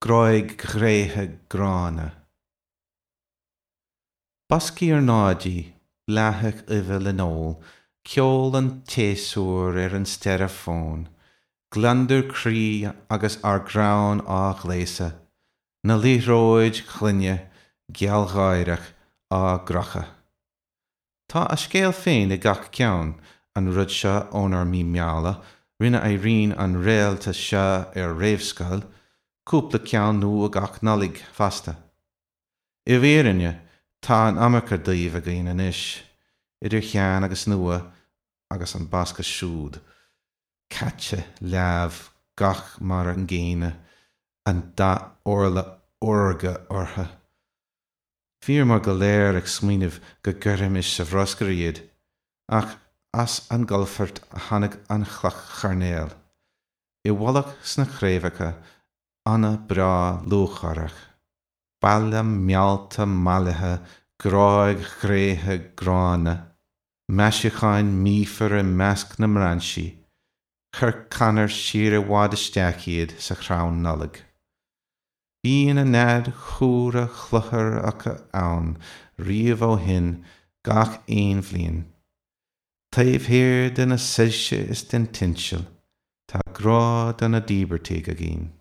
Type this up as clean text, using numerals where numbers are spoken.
Gráig ghréithe gránna. Boscaí ornáidí, bláthacha uibhe le n-ól, ceol an tséasúir ar an steireafón, gliondar croí agus ár gcrann á ghléasadh, na liathróid ghloine gealgháireach á gcrochadh. Tá a scéal féin ag gach ceann, an rud seo ónár mí meala, rinne Irene an réalta seo ar réamhscoil, cúpla ceann nua gach Nollaig fosta. I bhfírinne, tá an iomarca díobh againn anois, idir shean agus nua, agus an bosca siúd, caite leamh gach mar an gcéanna, an dath órla órga orthu. Bhíomar go léir ag smaoineamh go gcuirfimis sa bhruscar iad, ach as an gcalafort a tháinig an chloch choirnéil. I bhfolach sna craobhacha, anna breá lúcháireach. Baile meallta mallaithe, gráig ghréithe gránna, maisiúcháin míofar i measc na mbrainsí, chuir Conor siar i bhfad isteach iad sa chrann Nollag. Bíonn a nead chumhra chluthar acu ann riamh ó shin gach aon bhliain. Taobh thiar de na soilse is den tinsel, tá grá do na díbeartaigh againn.